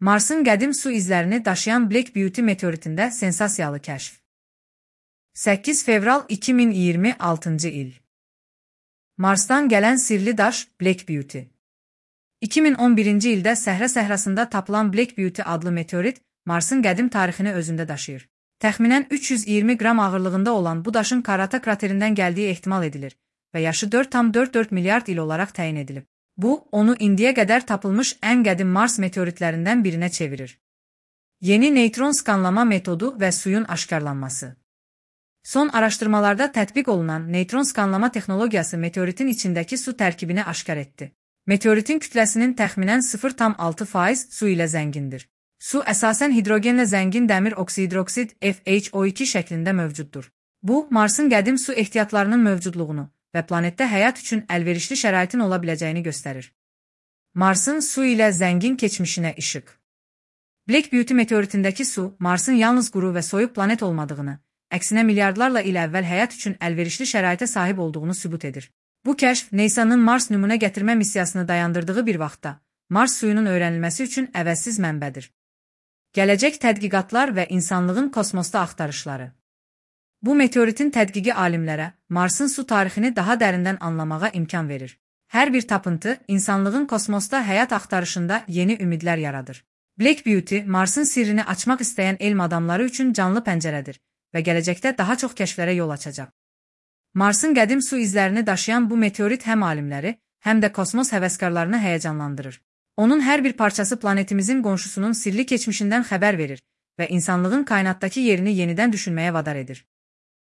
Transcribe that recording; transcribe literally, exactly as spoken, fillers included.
Marsın qədim su izlərini daşıyan Black Beauty meteoritində sensasiyalı kəşf. səkkiz fevral iki min iyirmi altıncı il. Marsdan gələn sirli daş Black Beauty. iki min on birinci ildə Səhra səhrasında tapılan Black Beauty adlı meteorit Marsın qədim tarixini özündə daşıyır. Təxminən üç yüz iyirmi qram ağırlığında olan bu daşın Karata kraterindən gəldiyi ehtimal edilir və yaşı dörd tam dörd dörd milyard il olaraq təyin edilib. Bu, onu indiyə qədər tapılmış ən qədim Mars meteoritlərindən birinə çevirir. Yeni neytron skanlama metodu və suyun aşkarlanması. Son araşdırmalarda tətbiq olunan neytron skanlama texnologiyası meteoritin içindəki su tərkibini aşkar etdi. Meteoritin kütləsinin təxminən sıfır tam altı faiz su ilə zəngindir. Su əsasən hidrogenlə zəngin dəmir oksidroksid F H O iki şəklində mövcuddur. Bu, Marsın qədim su ehtiyatlarının mövcudluğunu və planetdə həyat üçün əlverişli şəraitin ola biləcəyini göstərir. Marsın su ilə zəngin keçmişinə işıq. Black Beauty meteoritindəki su, Marsın yalnız quru və soyuq planet olmadığını, əksinə milyardlarla il əvvəl həyat üçün əlverişli şəraitə sahib olduğunu sübut edir. Bu kəşf, NASA'nın Mars nümunə gətirmə missiyasını dayandırdığı bir vaxtda, Mars suyunun öyrənilməsi üçün əvəzsiz mənbədir. Gələcək tədqiqatlar və insanlığın kosmosda axtarışları. Bu meteoritin tədqiqi alimlərə Marsın su tarixini daha dərindən anlamağa imkan verir. Hər bir tapıntı insanlığın kosmosda həyat axtarışında yeni ümidlər yaradır. Black Beauty, Marsın sirrini açmaq istəyən elm adamları üçün canlı pəncərədir və gələcəkdə daha çox kəşflərə yol açacaq. Marsın qədim su izlərini daşıyan bu meteorit həm alimləri, həm də kosmos həvəskarlarını həyəcanlandırır. Onun hər bir parçası planetimizin qonşusunun sirli keçmişindən xəbər verir və insanlığın kainatdakı yerini yenidən düşünməyə vadar edir.